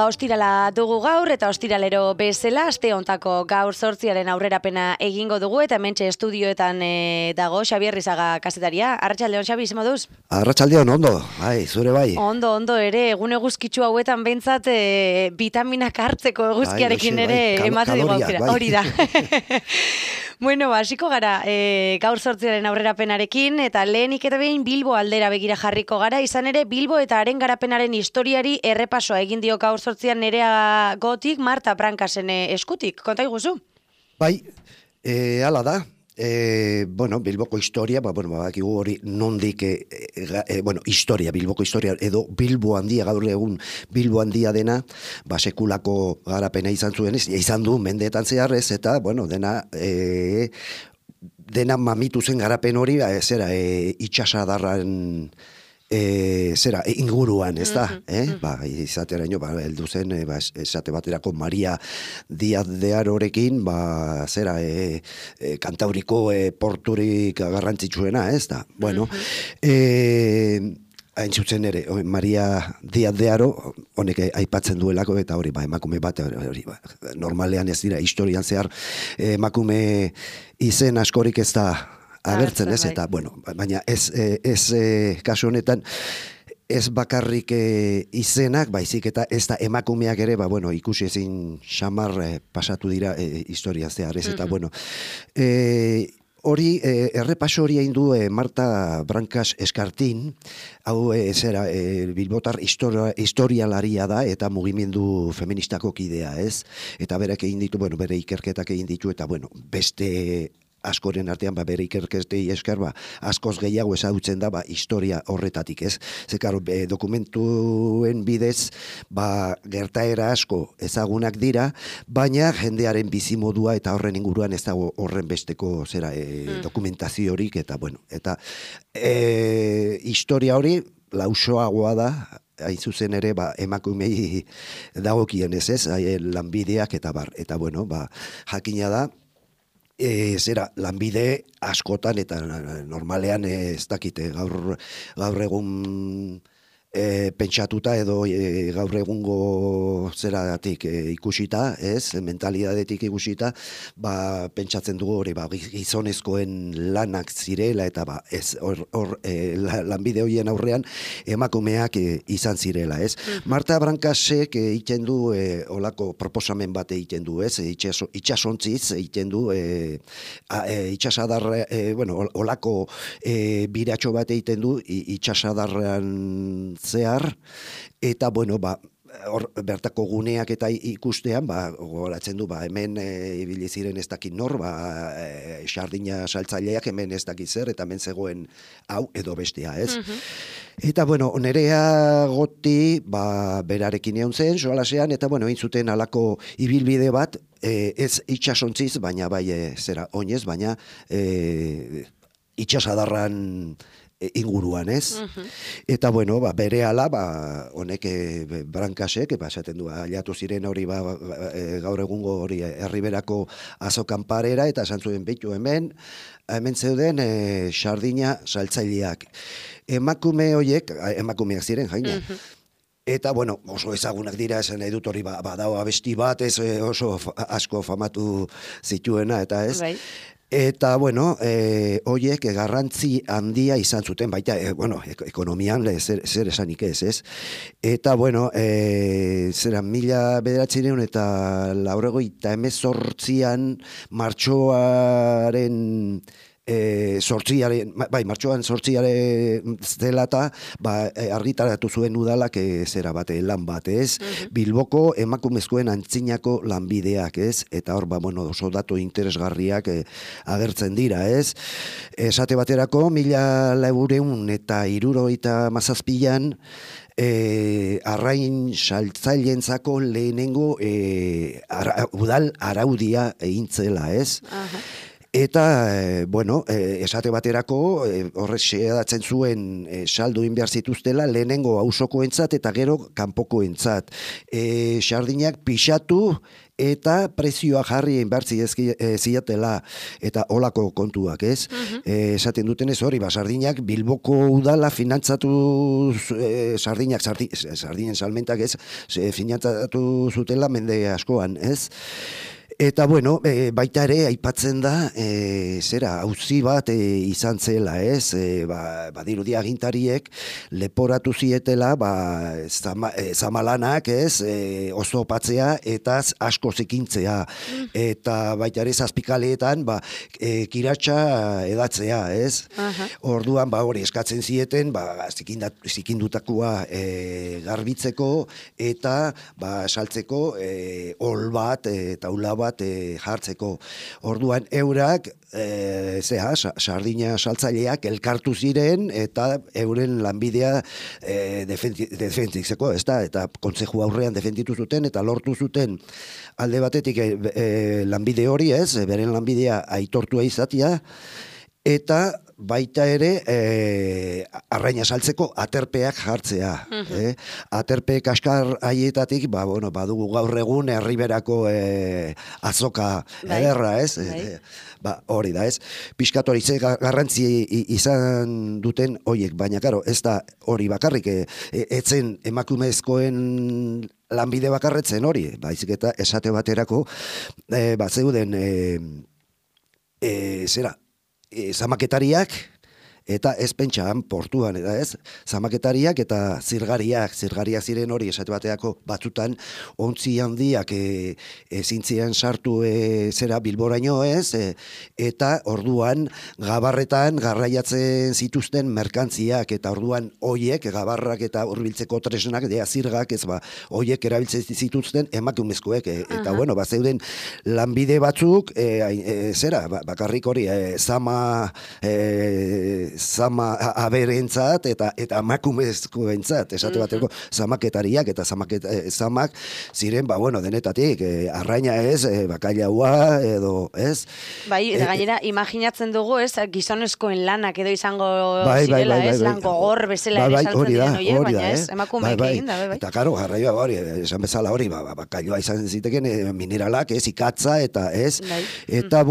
Ostirala dugu gaur eta ostiralero bezala aste hontako gaur 8 aurrerapena egingo dugu eta hementxe estudioetan dago Xabier Rizaga kazetaria. Arratsaldeon Xabi, ze moduz? Arratsaldeon, ondo. Bai, zure bai. Ondo ere, egun eguzkitsu hauetan behintzat vitaminak hartzeko eguzkiarekin ere emate digu aukera. Hori da. Bueno, hasiko gara gaur 8 aurrerapenarekin eta lehenik eta behin Bilbo aldera begira jarriko gara, izan ere Bilbo eta haren garapenaren historiari errepasoa egin dio gaur 8 Nerea Gotik Marta Brancasen eskutik. Konta iguzu? Bai, hala da. Bueno, Bilboko historia, bakigu hori nondik, historia, Bilboko historia, edo Bilbo handia, gaur egun Bilbo handia dena, sekulako garapena izan zuen, izan du mendeetan zeharrez, eta, dena mamitu zen garapen hori, itxasadarran inguruan, ez da? Izateraino, heldu zen, esate baterako Maria Díaz de Harorekin, Kantauriko porturik garrantzitsuena, ez da? Bueno, hain zuzen ere, Maria Díaz de Haro, honek aipatzen duelako, eta hori, emakume bat, normalean ez dira, historian zehar, emakume izen askorik ez da agertzen, ez, eta, baina ez kasu honetan, ez bakarrik izenak, baizik eta ez da emakumeak ere, ikusi ezin xamar pasatu dira historia zehar, ez, eta, hori, errepaso hori egin du Marta Brancas Eskartin, hau bilbotar historialaria da, eta mugimendu feministako kidea, ez, eta berak egin ditu, bere ikerketak egin ditu, eta, beste askoren artean, bere ikerketei esker, askoz gehiago ezagutzen da, historia horretatik, ez? Zekaro, dokumentuen bidez, gertaera asko ezagunak dira, baina jendearen bizimodua eta horren inguruan ez dago horren besteko dokumentaziorik, eta, eta historia hori lausoagoa da, hain zuzen ere, emakumei dagokien ez, lanbideak eta bar, eta, jakina da, lanbide askotan eta normalean ez dakite gaur egun pentsatuta edo gaur egungo zeratik ikusita, ez, mentalidadetik ikusita, pentsatzen dugu hori, gizonezkoen lanak zirela eta lanbide horien aurrean emakumeak izan zirela, ez. Marta Brancasek egiten du olako proposamen bat egiten du, ez, itxasontziz egiten du itxasadarra, olako biratxo bat egiten du itxasadarrean zehar, eta, bertako guneak eta ikustean, gogoratzen du, hemen ibili ziren ez dakit nor, sardina saltzaileak hemen ez dakit zer, eta hemen zegoen hau edo bestea, ez? Eta, Nerea Goti, berarekin egon zen, soalasean, eta, egin zuten alako ibilbide bat, ez itxasontziz, baina oinez, baina itxasadarran inguruan, ez? Eta, berehala, honek Brancasek, esaten du, aliatu ziren hori, gaur egungo hori herriberako azokan parera, eta esan zuen behitu hemen zeuden sardina saltzaileak. Emakume horiek, emakumeak ziren, jaina. Eta, oso ezagunak dira, esan nahi dut hori, badao abesti bat, ez oso asko famatu zituena, eta ez? Eta, horiek garrantzi handia izan zuten, baita, ekonomian zer esanik ez? Eta, zeran 1900 eta 1918an martxoaren martxoan sortziaren zelata, argitaratu zuen udalak zera bat, lan bat, ez? Bilboko emakumezkoen antzinako lanbideak, ez? Eta hor, oso datu interesgarriak agertzen dira, ez? Esate baterako, 1977an, arrain saltzaileentzako lehenengo udal araudia egintzela, ez? Eta, bueno, esate baterako, horrek xedatzen zuen saldu inbehar zituztela lehenengo auzokoentzat eta gero kanpokoentzat. Sardinak pixatu eta prezioa jarri inbertzi ziatela eta olako kontuak, ez? Esaten dutenez hori, sardinak Bilboko udala finantzatu sardinen salmentak, ez? Finantzatu zutela mende askoan, ez? Eta, bueno, baita ere, aipatzen da, auzi bat izan zela, ez? Badirudi agintariek leporatu zietela, zamalanak, ez? Ozopatzea eta asko zikintzea. Eta baita ere, zazpikaleetan, kiratxa edatzea, ez? Orduan, hori eskatzen zieten, zikindutakoa garbitzeko eta saltzeko ol bat, taula bat, jartzeko. Orduan eurak sardina saltzaileak elkartu ziren eta euren lanbidea defenditzeko, ezta? Eta kontzeju aurrean defenditu zuten eta lortu zuten alde batetik lanbide hori, ez? Beren lanbidea aitortua izatea eta baita ere arraina saltzeko aterpeak jartzea. Aterpe kaskar haietatik, badugu gaur egun herriberako azoka ederra, ez? Hori da, ez? Pixkat hori ze garrantzi izan duten hoiek, baina karo, ez da hori bakarrik, etzen emakumezkoen lanbide bakarretzen hori, baizik eta esate baterako, zeuden zamaketariak eta ez pentsan portuan, eta ez, zamaketariak eta zirgariak ziren hori esate bateako batzutan ontzi handiak ezintzian sartu Bilboraino, ez, eta orduan gabarretan garraiatzen zituzten merkantziak, eta orduan hoiek gabarrak eta hurbiltzeko tresnak, zirgak, ez hoiek erabiltzen zituzten emakumezkoek, eta bueno, zeuden lanbide batzuk, bakarrik hori, zama aberentzat eta emakumezkoentzat, esate bateko zamaketariak eta zamak ziren, denetatik, arraina ez, bakailaua edo, ez? Eta gainera, imaginatzen dugu, ez, gizonezkoen lanak edo izango zirela, ez, lan gogor bezala ere saltzen diren horiek, baina ez, emakumeek egin da, bai. Eta karo, garraioa hori, esan bezala hori, bakailaua izan ziteken mineralak, ez, ikatza, eta ez, eta,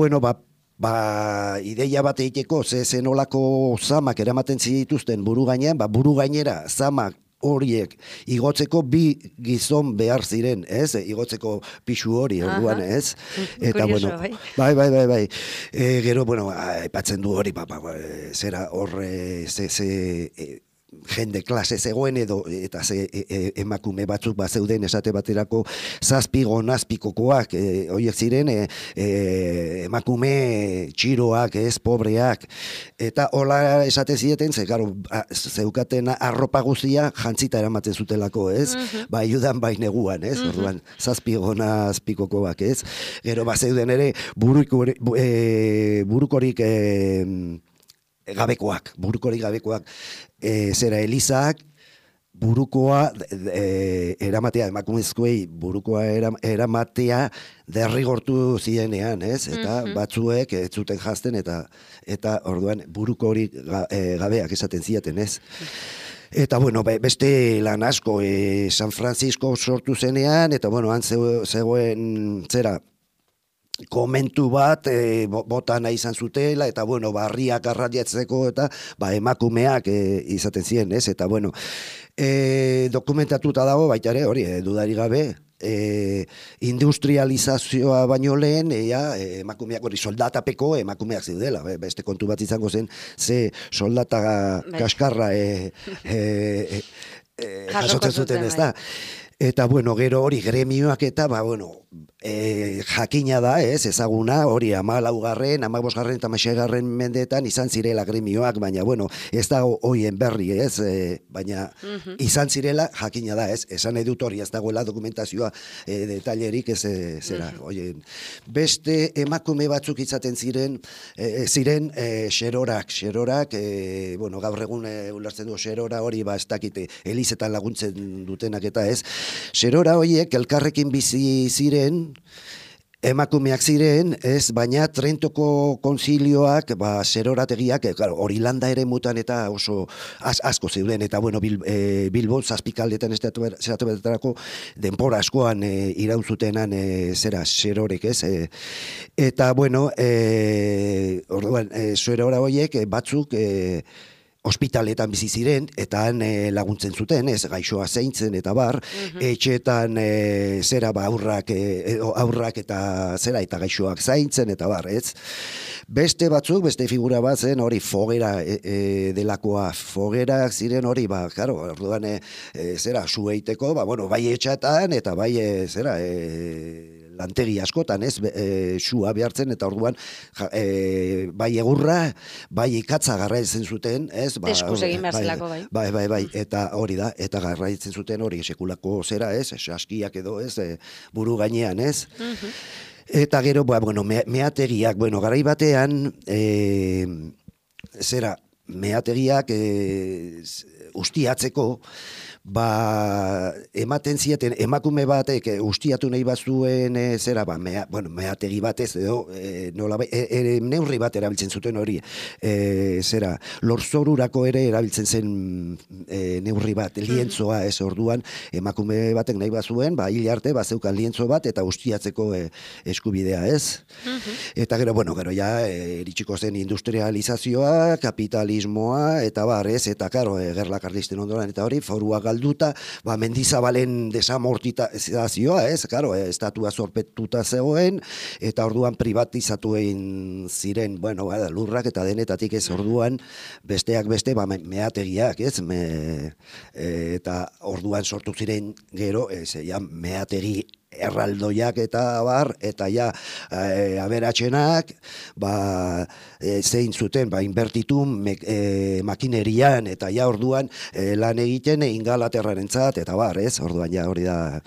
ideia bat egiteko, zen olako zamak eramaten zituzten buru gainean, buru gainera zamak horiek igotzeko bi gizon behar ziren, ez? Igotzeko pixu hori, orduan, ez? Eta, curioso, bai. Gero, aipatzen du hori, zera horre, jende klase zegoen eta emakume batzuk zeuden esate baterako zazpigo nazpikokoak, horiek ziren emakume txiroak, ez, pobreak, eta hola esaten zieten, zeukaten arropa guztia jantzita eramaten zutelako, ez, bai judan bai neguan, ez, orduan zazpigo nazpikokoak, ez, gero zeuden ere burukorik gabekoak, zera Elizak, burukoa eramatea, emakumezkoei burukoa eramatea derrigortu zirenean, ez? Eta batzuek ez zuten jazten eta orduan buruko hori gabeak esaten ziaten, ez? Eta, beste lan asko, San Francisco sortu zenean, eta, han zegoen, komentu bat bota nahi izan zutela, eta barriak arradiatzeko eta emakumeak izaten ziren, ez? Eta dokumentatuta dago baita ere, hori, dudari gabe, industrializazioa baino lehen, emakumeak hori soldatapeko emakumeak zeudela, beste kontu bat izango zen, ze soldata kaskarra jasotzen zuten, ez da? Eta, gero hori gremioak eta, jakina da, ez, ezaguna, hori 14., 15. eta 16. mendeetan izan zirela gremioak, baina, ez da hoien berri, ez, baina izan zirela jakina da, ez, esan edut hori, ez dagoela dokumentazioa detailerik, ez, beste emakume batzuk izaten ziren xerorak, gaur egun ulertzen du xerora hori, ez dakite, elizetan laguntzen dutenak eta ez, xerora horiek elkarrekin bizi ziren, emakumeak ziren, ez, baina Trentoko konzilioak, zerorategiak, hori landa ere mutan eta oso asko zeuden, eta bueno, Bilbo, zazpikaldetan zeratu betetarako, denpora askoan iraun zutenan zerorek, ez, eta bueno, orduan, zerora horiek batzuk, ospitaletan bizi ziren, eta han laguntzen zuten, ez, gaixoa zeintzen, eta bar, etxeetan aurrak eta eta gaixoak zaintzen, eta bar, ez. Beste batzuk, beste figura bat zen, hori fogera delakoa, fogerak ziren hori, claro, orduan, sueiteko, bueno, bai etxatan, eta bai, lantegi askotan, ez, sua behartzen, eta orduan, bai egurra, bai ikatza garraitzen zuten, ez, eskuz egin behar zelako, bai. Bai, eta hori da, eta garraitzen zuten hori sekulako zera, ez, saskiak edo, ez, buru gainean, ez. Eta gero, bueno, meategiak, bueno, garai batean, meategiak ustiatzeko, ematen zieten emakume batek ustiatu nahi bazuen meategi batez edo neurri bat erabiltzen zuten hori lorzorurako ere erabiltzen zen neurri bat, lientzoa ez orduan emakume batek nahi bazuen hil arte bazeukan lientzo bat eta ustiatzeko eskubidea ez eta gero ja iritsiko zen industrializazioa, kapitalismoa eta barrez eta karo gerla karlisten ondoran eta hori forua galduta, Mendizabalen desamortizazioa, ez, karo, estatua zorpetuta zegoen, eta orduan privatizatu egin ziren, bueno, lurrak eta denetatik ez orduan, besteak beste, meategiak, ez, eta orduan sortu ziren gero, meategi erraldoiak eta bar, eta aberatzenak, zein zuten, inbertitu makinerian, eta orduan lan egiten Ingalaterrarentzat, eta bar, ez, orduan hori da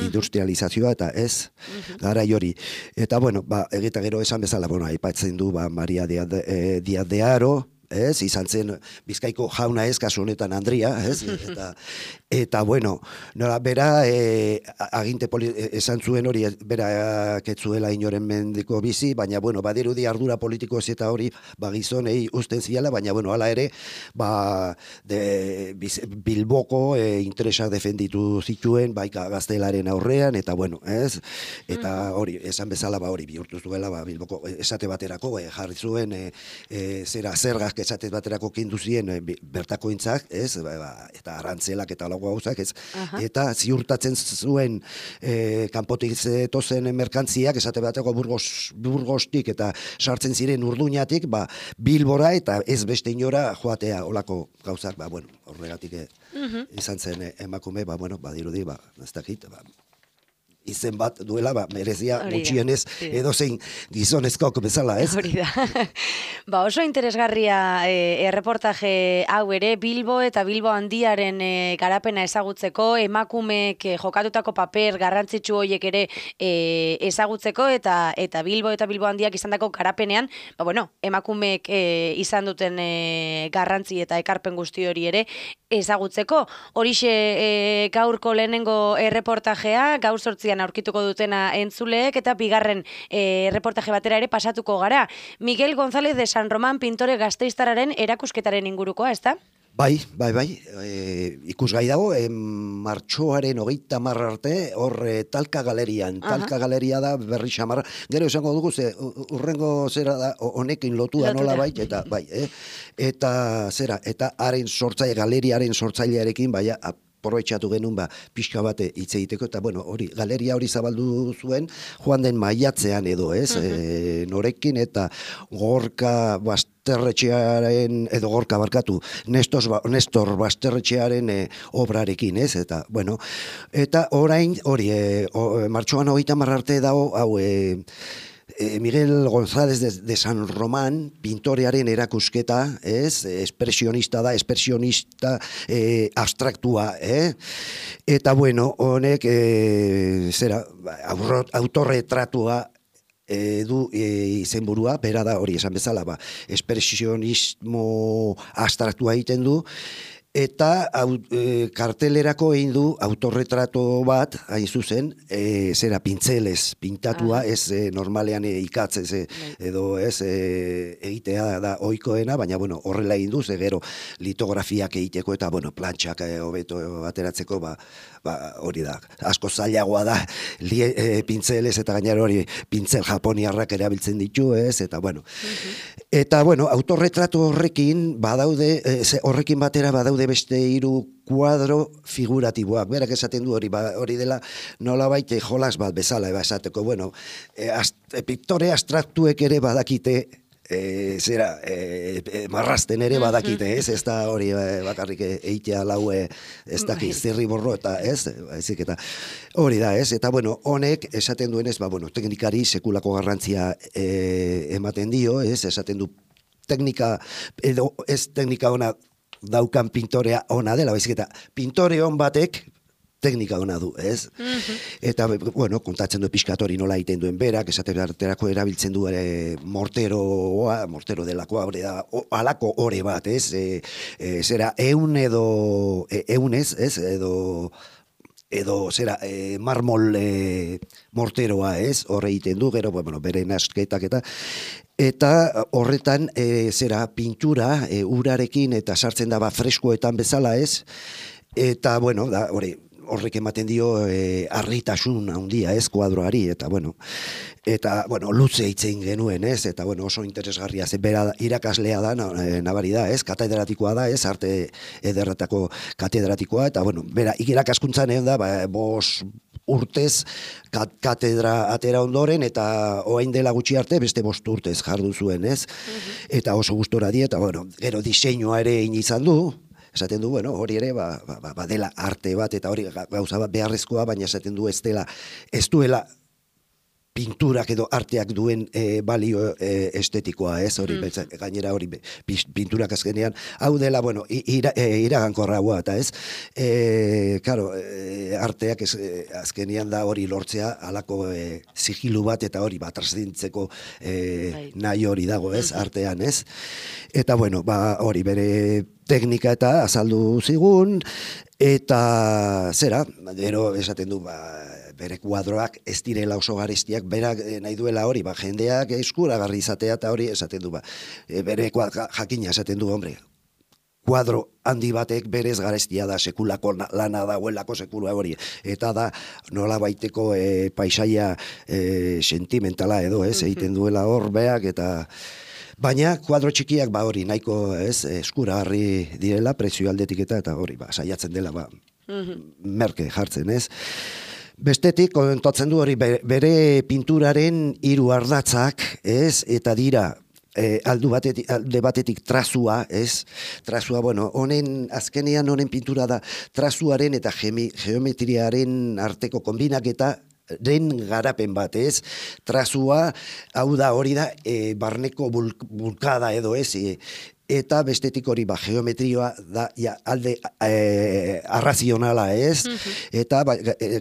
industrializazioa, eta ez, garai hori. Eta, bueno, egita gero esan bezala, aipatzen du, Maria Díaz de Haro, ez, izan zen Bizkaiko jauna ez, kasu honetan Andria, ez, eta bueno, bera aginte esan zuen hori, bera ketzuela inoren mendiko bizi, baina bueno, badirudi ardura politiko ez eta hori gizonei usten ziala, baina bueno, hala ere, Bilboko interesak defenditu zituen, gaztelaren aurrean, eta bueno, ez, eta hori, esan bezala hori bihurtu zuela, Bilboko esate baterako, jarri zuen zergak esatez baterako kendu zien bertako intzak, ez, eta arrantzelak eta lago gauzak, ez, eta ziurtatzen zuen kanpotik zetozen merkantziak, esate baterako Burgostik eta sartzen ziren Urduñatik, Bilbora eta ez beste inora joatea olako gauzak, bueno, horregatik izan zen emakume, badirudi, ez dakit, izen bat duela, merezia gutxienez edozein gizonezkok bezala, ez? Hori da. Oso interesgarria erreportaje hau ere, Bilbo eta Bilbo handiaren garapena ezagutzeko, emakumeek jokatutako paper garrantzitsu horiek ere ezagutzeko, eta Bilbo eta Bilbo handiak izandako garapenean, emakumeek izan duten garrantzi eta ekarpen guzti hori ere ezagutzeko. Horixe gaurko lehenengo erreportajea, gaur 8 aurkituko dutena entzuleek, eta bigarren reportaje batera ere pasatuko gara. Miguel González de San Román pintore gasteiztarraren erakusketaren ingurukoa, ez da? Bai, ikusgai dago, martxoaren 30 arte, hor Talka Galerian. Talka Galeria da berri xamarra. Gero esango dugu, urrengo zera da, honekin lotua nola eta eta haren sortzaile, galeriaren sortzailearekin, aprobetxatu genuen pixka bate hitz egiteko, eta bueno, hori, galeria hori zabaldu zuen, joan den maiatzean edo, ez, norekin, eta Gorka Basterretxearen, edo Gorka barkatu, Nestor Basterretxearen obrarekin, ez, eta, bueno, eta orain, hori, martxoan 30 arte dago, hau, Miguel González de San Román, pintorearen erakusketa, ez, espresionista da, abstraktua, eta bueno, honek, autorretratua du izenburua, bera da hori esan bezala, espresionismo abstraktua egiten du, eta kartelerako egin du autorretrato bat, hain zuzen, zera pintzelez pintatua, ez normalean ikatz, edo ez egitea da ohikoena, baina bueno, horrela egin du, gero litografiak egiteko eta bueno, plantxak hobeto ateratzeko, hori da, asko zailagoa da pintzelez eta gainera hori pintzel japoniarrak erabiltzen ditu, ez, eta bueno. Eta bueno, autorretratu horrekin badaude, horrekin batera badaude beste 3 kuadro figuratiboak. Berak esaten du hori dela nolabait jolas bat bezala esateko, bueno, piktore abstraktuek ere badakite marrasten ere badakite, ez da hori bakarrik eitea laue ez daki zirri borro eta ez, ezik eta hori da, ez, eta bueno, honek esaten duenez, bueno, teknikari sekulako garrantzia ematen dio, ez, esaten du teknika, edo ez teknika ona daukan pintorea ona dela, baizik eta pintore on batek teknika ona du, ez? Eta, bueno, kontatzen du pixkat hori nola egiten duen berak, esaterako erabiltzen du mortero delakoa, alako ore bat, ez? Zera, eunez, ez? Edo zera, marmol morteroa, ez? Horre egiten du, gero, bueno, bere nasketak eta horretan, zera, pintura, urarekin eta sartzen da freskoetan bezala, ez? Eta, bueno, da, horrek ematen dio harritasun handia, ez, kuadroari, eta bueno, luze hitzen genuen, ez, eta bueno, oso interesgarria, bera irakaslea da, nabari da, ez, katedratikoa da, ez, arte ederretako katedratikoa, eta bueno, bera irakaskuntzan da, 5 urtez katedra atera ondoren, eta orain dela gutxi arte beste 5 urtez jardu zuen, ez, eta oso gustora die, eta bueno, gero diseinua ere egin izan du, esaten du, bueno, hori ere, dela arte bat, eta hori gauza bat beharrezkoa, baina esaten du ez duela pinturak edo arteak duen balio estetikoa, ez, hori, gainera hori pinturak azkenean, hau dela, bueno, iragankorragoa, eta ez, karo, arteak azkenean da hori lortzea, halako sigilu bat, eta hori, traszintzeko nahi hori dago, ez, artean, ez, eta, bueno, hori bere teknika eta azaldu zigun, eta zera, gero esaten du, bere kuadroak ez direla oso garestiak, berak nahi duela hori, jendeak eskuragarri izatea eta hori esaten du, bere jakina esaten du, hombre, kuadro handi batek berez garestia da, sekulako lana dagoelako sekula hori, eta da nola baiteko paisaia sentimentala edo, ez, egiten duela hor beak, eta baina kuadro txikiak hori nahiko eskuragarri direla prezio aldetik eta hori saiatzen dela merke jartzen, ez? Bestetik, kontatzen du hori bere pinturaren 3 ardatzak, ez? Eta dira alde batetik trazua, ez? Trazua, bueno, azkenean honen pintura da trazuaren eta geometriaren arteko konbinaketa den garapen bat, ez? Trazua, hau da, hori da, barneko bulkada edo, ez? Eta bestetik hori geometrioa da alde arrazionala, ez? Eta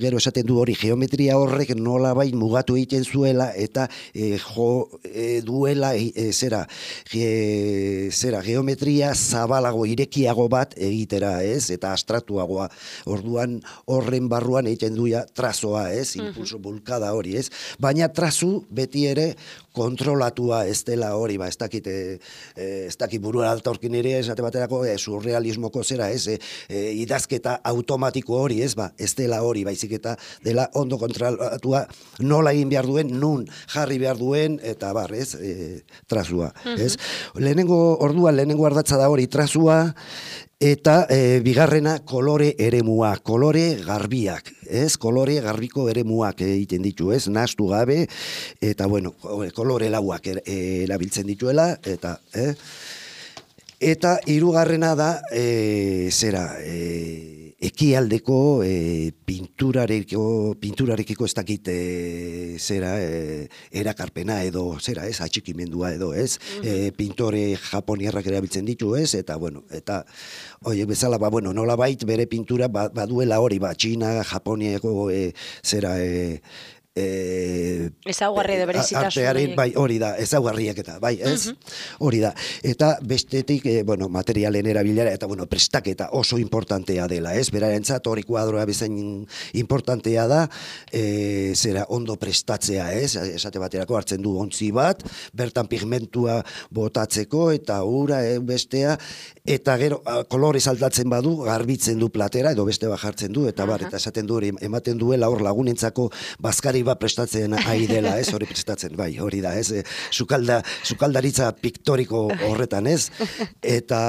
gero esaten du hori geometria horrek nolabait mugatu egiten zuela eta duela geometria zabalago, irekiago bat egitera, ez? Eta abstraktuagoa. Orduan horren barruan egiten duia trazoa, ez? Impulso bulkada hori, ez? Baina trazu beti ere kontrolatua ez dela hori, ez dakit burua altorkin ere, esate baterako surrealismoko zera, ez, idazketa automatiko hori, ez dela hori, baizik eta dela ondo kontrolatua nola egin behar duen, nun jarri behar duen, eta ez, trazua, ez. Lehenengo ardatza da hori trazua, eta bigarrena kolore eremua, kolore garbiak, ez, kolore garbiko eremuak egiten ditu, ez, nahastu gabe, eta bueno, kolore lauak erabiltzen dituela, eta hirugarrena da, ekialdeko pinturarekiko ez dakit erakarpena edo ez, atxikimendua edo, ez, pintore japoniarrak erabiltzen ditu, ez, eta bueno, eta horiek bezala, nolabait bere pintura baduela hori, Txina, Japoniako ezaugarri edo berezitasun artearen, bai, hori da, ezaugarriak eta, bai, ez? Hori da. Eta bestetik, bueno, materialen erabilera, eta, bueno, prestaketa oso importantea dela, ez? Berarentzat hori kuadroa bezain importantea da, zera ondo prestatzea, ez? Esate baterako hartzen du ontzi bat, bertan pigmentua botatzeko, eta ura, bestea, eta gero, kolorez aldatzen badu, garbitzen du platera, edo beste bat jartzen du, eta bar, eta esaten du hori, ematen duela hor lagunentzako bazkari bat prestatzen ari dela, ez, hori prestatzen, bai, hori da, ez, sukaldaritza piktoriko horretan, ez, eta,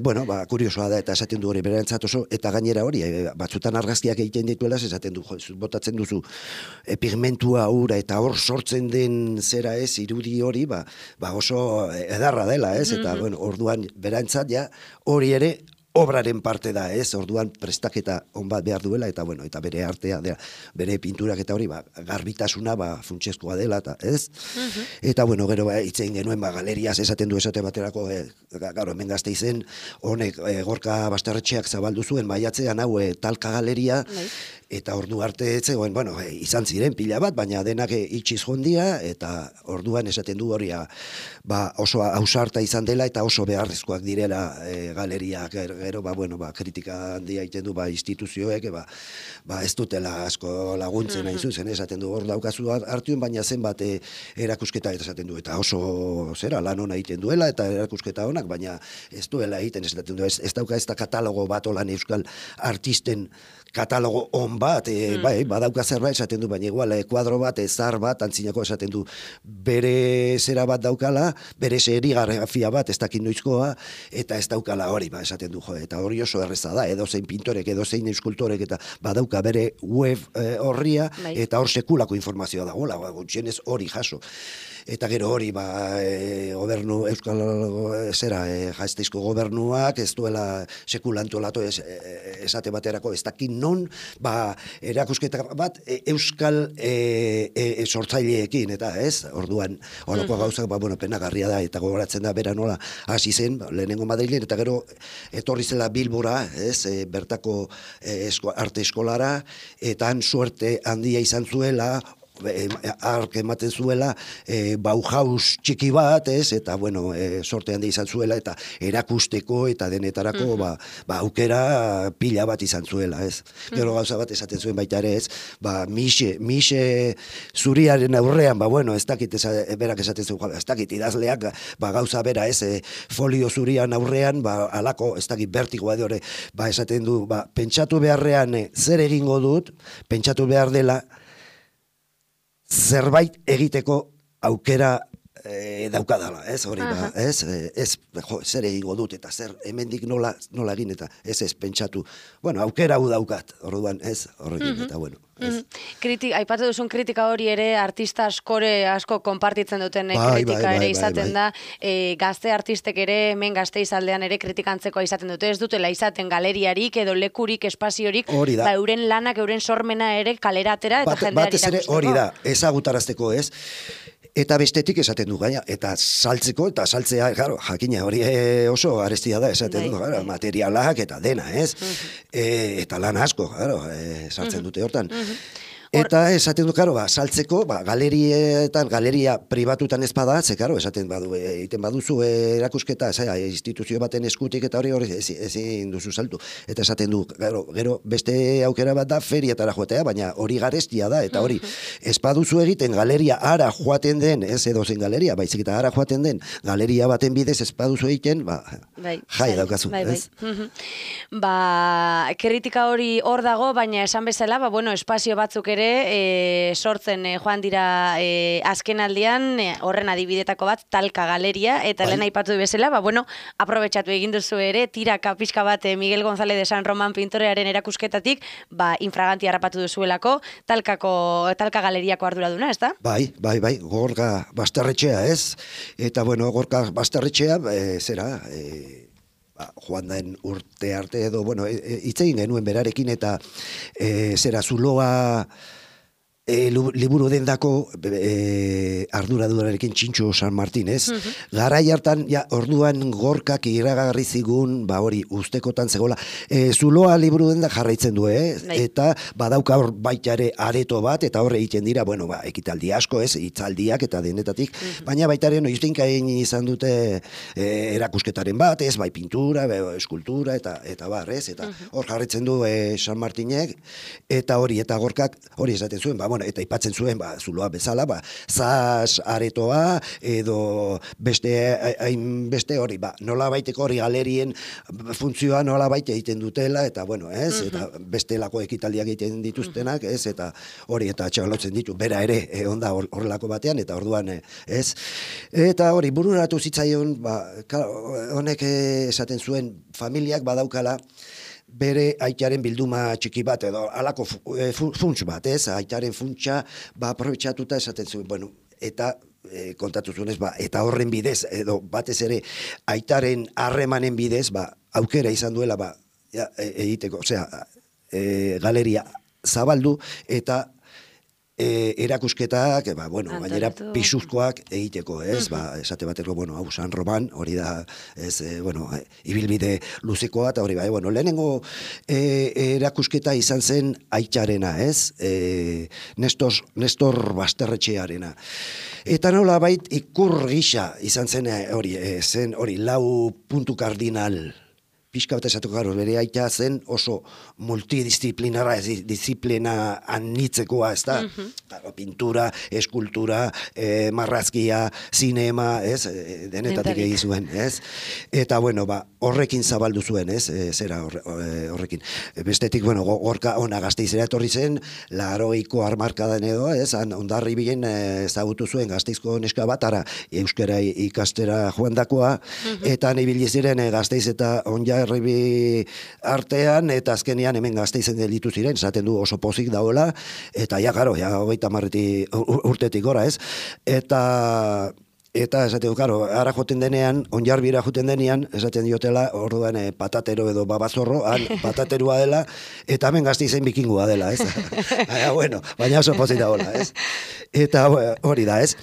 bueno, kuriosoa da, eta esaten du hori berentzat oso, eta gainera hori, batzutan argazkiak egiten dituela, esaten du, botatzen duzu pigmentua ura, eta hor sortzen den zera ez, irudi hori, oso edarra dela, ez, eta, bueno, orduan berentzat, ja, hori ere, obraren parte da, ez? Orduan prestaketa on bat behar duela, eta bueno, eta bere artea, bere pinturak eta hori, garbitasuna, funtsezkoa dela, eta ez? Eta bueno, gero itzein genuen, galeriaz esaten du esate baterako, garo, hemen Gasteizen, honek Gorka Basterretxeak zabaldu zuen, maiatzean hau talka galeria, eta ordu arte etzegoen, bueno, izan ziren pila bat, baina denak itxiz jondia, eta orduan esaten du hori, oso ausarta izan dela, eta oso beharrezkoak direla galeriak, gero, bueno, kritika handia egiten du, instituzioek, ez dutela asko laguntzen hain zuzen, esaten du, hor daukazu hartuen, baina zenbat erakusketa esaten du, eta oso, zera, lan hona egiten duela, eta erakusketa honak, baina ez duela egiten, esaten du, ez dauka ez da katalogo bat olan euskal artisten katalogo on bat, bai, badauka zerbait esaten du, baina igual, kuadro bat, zar bat, antzinako esaten du, bere zera bat daukala, bere serigrafia bat, ez dakin noizkoa, eta ez daukala hori, esaten du, eta hori oso erreza da, edozein pintorek, edozein eskultorek, eta badauka bere web horria, eta hor sekulako informazioa da, hola, gutxienez hori jaso. Eta gero hori, gobernu, euskal zera, Gasteizko gobernuak, ez duela sekulantolatu esate baterako, ez dakin non, erakusketa bat euskal sortzaileekin, eta ez, orduan, horako gauzak, bueno, penagarria da, eta gogoratzen da, bera nola, hasi zen, lehenengo Madrilen, eta gero, etorri zela Bilbora, ez, bertako arte eskolara, eta han suerte handia izan zuela, ark ematen zuela Bauhaus txiki bat, ez, eta bueno, sorte handi izan zuela, eta erakusteko eta denetarako aukera pila bat izan zuela, ez. Gero gauza bat esaten zuen baita ere, ez, Mixe zuriaren aurrean, bueno, ez dakit, berak esaten zuen, ez dakit, idazleak, gauza bera, ez, folio zurian aurrean, alako, ez dakit, bertigoa de esaten du, pentsatu beharrean zer egingo dut, pentsatu behar dela, zerbait egiteko aukera daukadala, ez, hori zer egingo dut, eta zer hemendik nola egin, eta ez pentsatu, bueno, aukera hau daukat, orduan, ez, horrekin, eta bueno. Aipatu duzun kritika hori ere artista asko konpartitzen duten kritika ere izaten da, gazte artistek ere, hemen Gasteiz aldean ere kritikantzeko izaten dute, ez dutela izaten galeriarik edo lekurik, espaziorik, euren lanak, euren sormena ere kalera atera eta jendeari irakusteko. Hori da, ezagutarazteko, ez, eta bestetik esaten du gaina, eta saltzeko, eta saltzea, jakina, hori oso arestia da, esaten du, materialak eta dena, ez? Eta lan asko, sartzen dute hortan. Eta esaten du, saltzeko, galerietan, galeria pribatutan ez bada, esaten badu, egiten baduzu erakusketa, instituzio baten eskutik eta hori ezin duzu saltu. Eta esaten du, gero beste aukera bat da feriatara joatea, baina hori garestia da, eta hori, ez baduzu egiten galeria ara joaten den, ez edozen galeria, baizik eta ara joaten den, galeria baten bidez ez baduzu egiten, jai daukazu, ez? Kritika hori hor dago, baina esan bezala, espazio batzuk ere, sortzen joan dira azken aldian, horren adibidetako bat, talka galeria, eta lehen aipatu bezala, aprobetxatu egin duzu ere, tiraka pixka bat Miguel González de San Román pintorearen erakusketatik, infraganti harrapatu duzuelako, talka galeriako arduraduna, ez da? Bai, Gorka Basterretxea, ez? Eta, Gorka Basterretxea, joan daen urte arte edo, itzein genuen berarekin, eta zuloa liburu dendako arduradurarekin Txintxo San Martin, ez? Garai hartan, orduan Gorkak iragarri zigun, hori, ustekotan zegoela, zuloa liburu denda jarraitzen du, eta badauka hor baita ere areto bat, eta horre egiten dira, ekitaldi asko, ez, hitzaldiak eta denetatik, baina baita ere noiztinkain izan dute erakusketaren bat, ez, bai pintura, eskultura, eta bar, ez, eta hor jarraitzen du San Martinek, eta hori, eta Gorkak hori esaten zuen, eta ipatzen zuen, zuloa bezala, zaz aretoa, edo beste hori, nola baiteko hori galerien funtzioa nola baite egiten dutela, eta eta bestelako ekitaldiak egiten dituztenak, ez, eta hori, eta txalotzen ditu, bera ere, onda horrelako batean, eta orduan, ez, eta hori, bururatu zitzaion, honek esaten zuen, familiak badaukala, bere aitaren bilduma txiki bat, edo alako funts bat, ez? Aitaren funtsa, aprobetxatuta esaten zuen, eta kontatu zuen, eta horren bidez, edo batez ere, aitaren harremanen bidez, aukera izan duela, egiteko, osea, galeria zabaldu, eta erakusketak, gainera pisuzkoak egiteko, ez, esate bateko, hau San Roman, hori da, ez, ibilbide luzekoa, eta hori, lehenengo erakusketa izan zen aitxarena, ez, Nestor Basterretxearena. Eta nola bait, ikur gisa izan zen hori, lau puntu kardinal, pixka bat esatu garo, bere aita zen oso multidisciplinara, disiplina anitzekoa, ez da? Pintura, eskultura, marrazkia, zinema, ez? Denetatik egin zuen, ez? Eta, horrekin zabaldu zuen, ez? Zera horrekin. Bestetik, Gorka ona Gasteizera etorri zen, 80ko hamarkadan edo, ez? Hondarribian ezagutu zuen Gasteizko neska bat, ara euskara ikastera joandakoa, eta ibili ziren Gasteiz eta Hondarribi artean, eta azkenean hemen Gasteizen gelditu ziren, esaten du oso pozik dagoela, eta karo, 30 urtetik gora, ez? Eta esaten du, karo, ara joten denean, Honjarbira joten denean, esaten diotela, orduan patatero edo babazorro, pataterua dela, eta hemen Gasteizen bikingua dela, ez? Baina oso pozik dagoela, ez? Eta hori da, ez?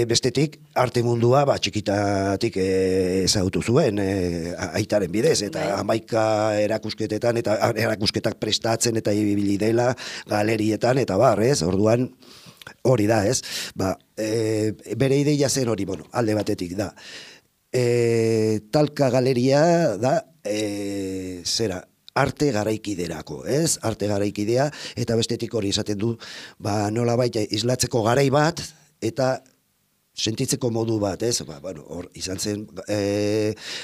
Bestetik, arte mundua txikitatik ezagutu zuen aitaren bidez, eta 11 erakusketetan, eta erakusketak prestatzen eta ibili dela galerietan, eta ez, orduan hori da, ez, bere ideia zen hori, alde batetik da. Talka galeria da, zera, arte garaikiderako, ez? Arte garaikidea, eta bestetik hori esaten du, nola baita islatzeko garai bat, eta sentitzeko modu bat, ez? Hor izan zen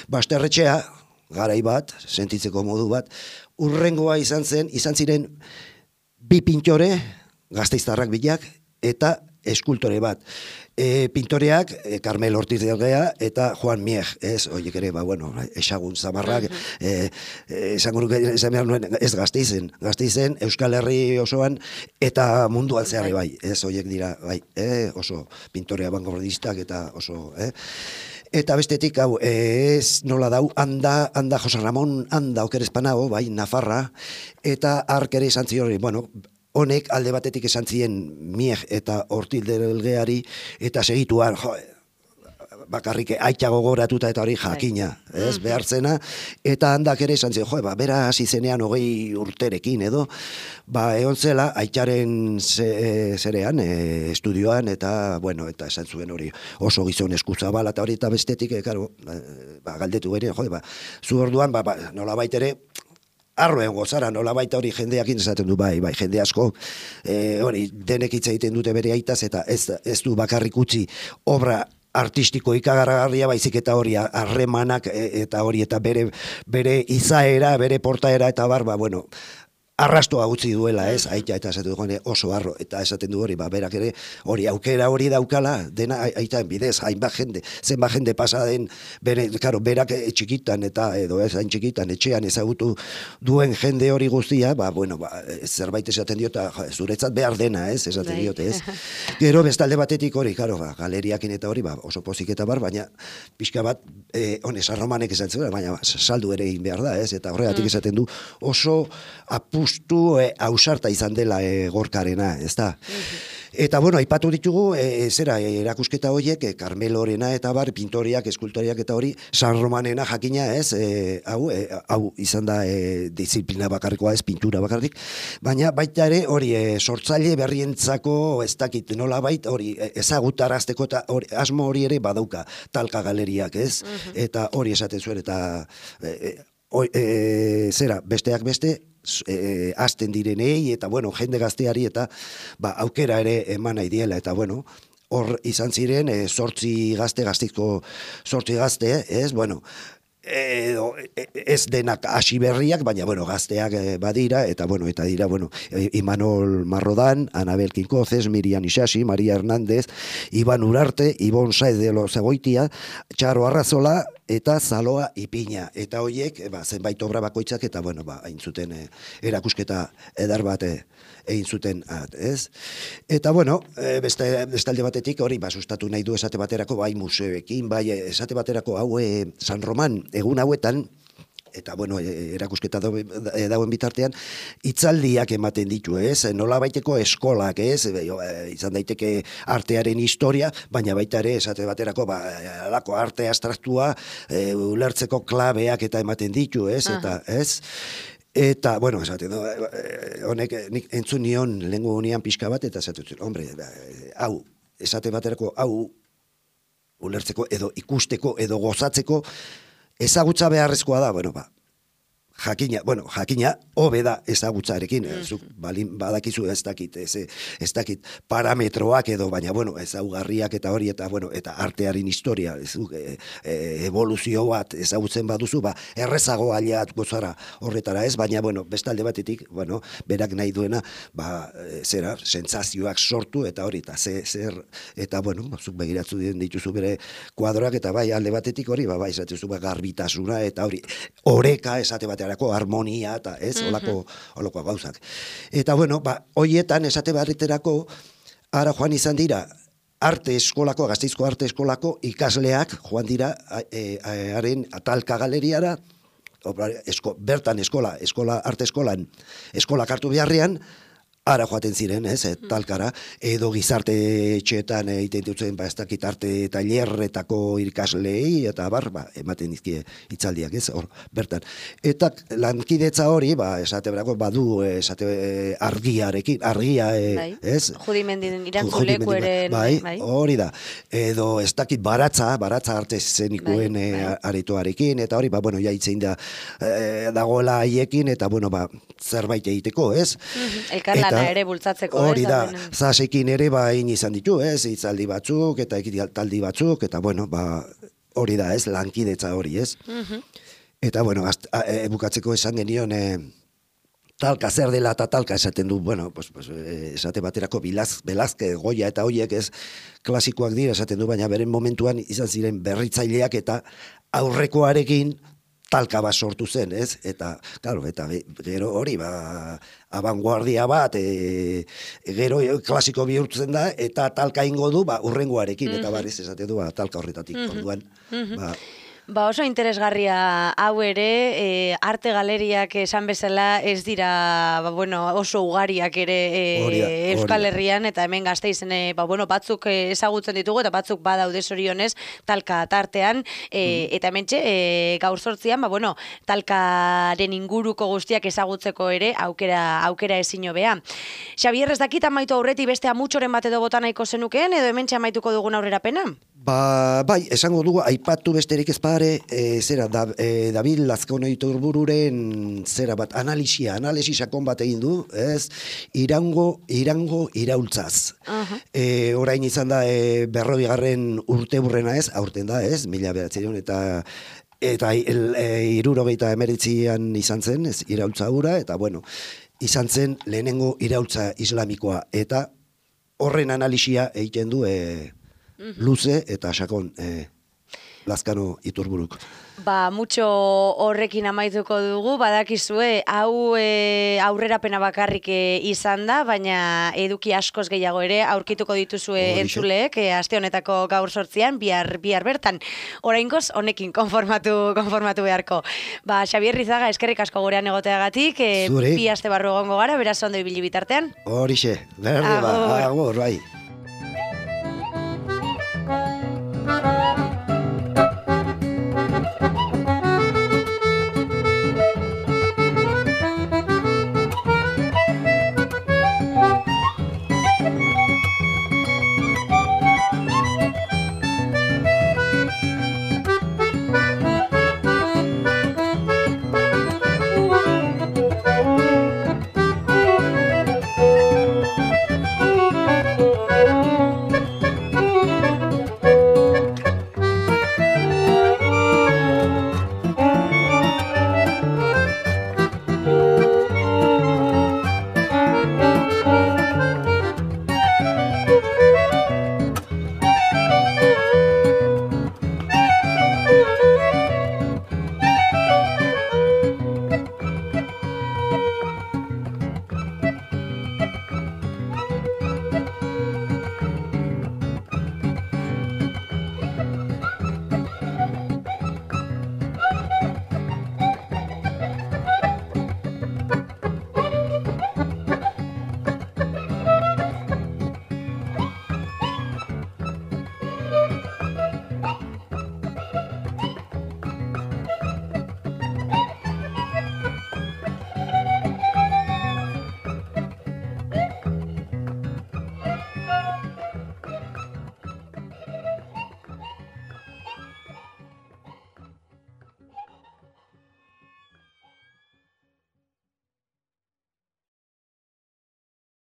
Basterretxea, garai bat, sentitzeko modu bat, urrengoa izan ziren bi pintore, gasteiztarrak bilak, eta eskultore bat. Pintoreak, Carmel Ortiz de Orgea eta Juan Mieg, ez? Horiek ere, esagun zamarrak, esan behar nuen, ez Gasteizen, Euskal Herri osoan, eta munduan zeharri bai, ez? Horiek dira, oso pintore avantgardistak eta oso, Eta bestetik, ez nola dau, handa Jose Ramon, handa okerezpanago, Nafarra, eta ark ere esan zion, honek alde batetik esan zien Mieg eta Ortiz de Orgeari, eta segituan, bakarrik aita gogoratuta eta hori jakina, ez, behartzena, eta handak ere esan zien, bera hasi zenean 20 urterekin edo, egon zela aitaren zerean, estudioan, eta, eta esan zuen hori oso gizon eskuzabala, eta hori eta bestetik, galdetu bere, zu orduan, nola baitere, arroen gozara, nola baita hori jendeakin esaten du, bai, jende asko, hori denek hitz egiten dute bere aitaz, eta ez du bakarrik utzi obra artistiko ikagargarria, baizik eta hori harremanak, eta hori, eta bere izaera, bere portaera, eta arrastoa utzi duela, ez, aita, eta esaten du, oso arro, eta esaten du hori, berak ere, hori aukera hori daukala, dena aita bidez, zenba jende pasa den, berak txikitan, eta edo ez hain txikitan, etxean ezagutu duen jende hori guztia, zerbait esaten diota, zuretzat behar dena, ez, esaten diote, ez. Gero bestalde batetik hori, galeriakin eta hori, oso pozik eta baina pixka bat, honez, arromanek esan zuen, baina saldu ere egin behar da, ez, eta horregatik esaten du, oso justu ausarta izan dela Gorkarena, ez da? Eta, bueno, aipatu ditugu, erakusketa horiek, Carmelorena eta bar, pintoriak, eskultoriak eta hori, San Romanena jakina, ez, hau izan da disiplina bakarrikoa, ez, pintura bakarrik, baina baita ere, hori, sortzaile berrientzako, ez dakit, nola bait, hori, ezagutarazteko eta asmo hori ere badauka, Talka galeriak, ez, eta hori esaten zuen, eta besteak beste, hasten direnei, eta, bueno, jende gazteari, eta, aukera ere eman nahi diela, eta, bueno, hor izan ziren, 8 gaztizko 8 gazte, ez, bueno, ez denak hasi berriak, baina, bueno, gazteak badira, eta, bueno, eta dira, bueno, Imanol Marrodan, Anabel Kinkozes, Miriam Isasi, Maria Hernández, Iban Urarte, Ibon Saez de los Egoitia, Txaro Arrazola, eta Zaloa Ipina, eta horiek, zenbait obra bakoitzak, eta, bueno, hain zuten erakusketa edar bat egin zuten, ez? Eta, bueno, bestalde batetik, hori, sustatu nahi du esate baterako, bai museoekin, bai esate baterako, hau San Roman, egun hauetan, eta, bueno, erakusketa dauen bitartean, hitzaldiak ematen ditu, ez? Nola baiteko eskolak, ez? Izan daiteke artearen historia, baina baita ere, esate baterako, alako arte abstraktua, ulertzeko klabeak eta ematen ditu, ez? Eta, ez? Eta, bueno, esate, honek, nik entzun nion lehengo unian pixka bat, eta esate, hombre, hau, esate baterako, hau, ulertzeko, edo ikusteko, edo gozatzeko, ezagutza beharrezkoa da, bueno, jakina, hobe da ezagutzarekin, badakizu ez dakit parametroak edo, baina, bueno, ezaugarriak eta hori, eta, bueno, eta artearen historia, evoluzio bat ezagutzen baduzu, errezago aliat gozara horretara ez, baina, bueno, bestalde batetik, bueno, berak nahi duena, sentsazioak sortu, eta hori, eta zer, eta, bueno, zuk begiratzu dituzu bere kuadroak, eta bai, alde batetik hori, esatezu garbitasuna, eta hori, oreka esate batean, harmonia eta ez, holako gauzak. Eta, bueno, hoietan esate barriterako, ara joan izan dira, Gasteizko arte eskolako ikasleak joan dira haren Talka galeriara, bertan arte eskolan, eskolak hartu beharrean, ara joaten ziren, ez, Talkara, edo gizarte etxeetan egiten dutzen, ez dakit arte tailerretako irikaslei, eta ematen dizkie hitzaldiak, ez, hor, bertan. Eta lankidetza hori, esate berako, badu, argiarekin, ez? Judimendin irantzuleku eren, bai, hori da. Edo, ez dakit baratza arte zenikoen aretoarekin, eta hori, bueno, jaitzein da, dagoela haiekin, eta, bueno, zerbait egiteko, ez? Elkarlan ere bultzatzeko, hori da, zasekin ere bain izan ditu, ez, hitzaldi batzuk, eta ekitaldi batzuk, eta, bueno, hori da, ez, lankidetza hori, ez. Eta, bueno, bukatzeko esan genion, Talka zer dela eta Talka esaten du, bueno, esate baterako Velázquez, Goya eta horiek ez klasikoak dira esaten du, baina beren momentuan izan ziren berritzaileak eta aurrekoarekin Talka bat sortu zen, ez? Eta, claro, eta gero hori, abanguardia bat, gero klasiko bihurtzen da, eta Talka ingo du, urrengoarekin, eta barriz esate du, Talka horretatik, orduan, oso interesgarria hau ere, arte galeriak esan bezala ez dira, oso ugariak ere Euskal Herrian, eta hemen Gasteizen, batzuk ezagutzen ditugu, eta batzuk badaude zorionez Talka tartean, eta hementxe, gaur 8an, Talkaren inguruko guztiak ezagutzeko ere aukera ezin hobea. Xabier, ez dakit amaitu aurretik beste amutxoren bat edo bota nahiko zenukeen, edo hementxe amaituko dugun aurrerapena? Bai, esango dugu, aipatu besterik ez pare, David Lazkano Iturbururen analisi sakon bat egin du, ez, Irango iraultzaz. Orain izan da, 40. urteurrena ez, aurten da ez, 1900 eta 1979an izan zen, ez, iraultza hura, eta bueno, izan zen lehenengo iraultza islamikoa, eta horren analisia egiten du luze eta sakon. Lazkano Iturburuk. Mucho horrekin amaituko dugu, badakizue, hau aurrerapena bakarrik izan da, baina eduki askoz gehiago ere aurkituko dituzue entzuleek, aste honetako gaur 8an, bihar bertan. Oraingoz, honekin konformatu beharko. Xabier Rizaga, eskerrik asko gurean egoteagatik, bi aste barru egongo gara, beraz ondo ibili bitartean. Horixe, berde agur, bai.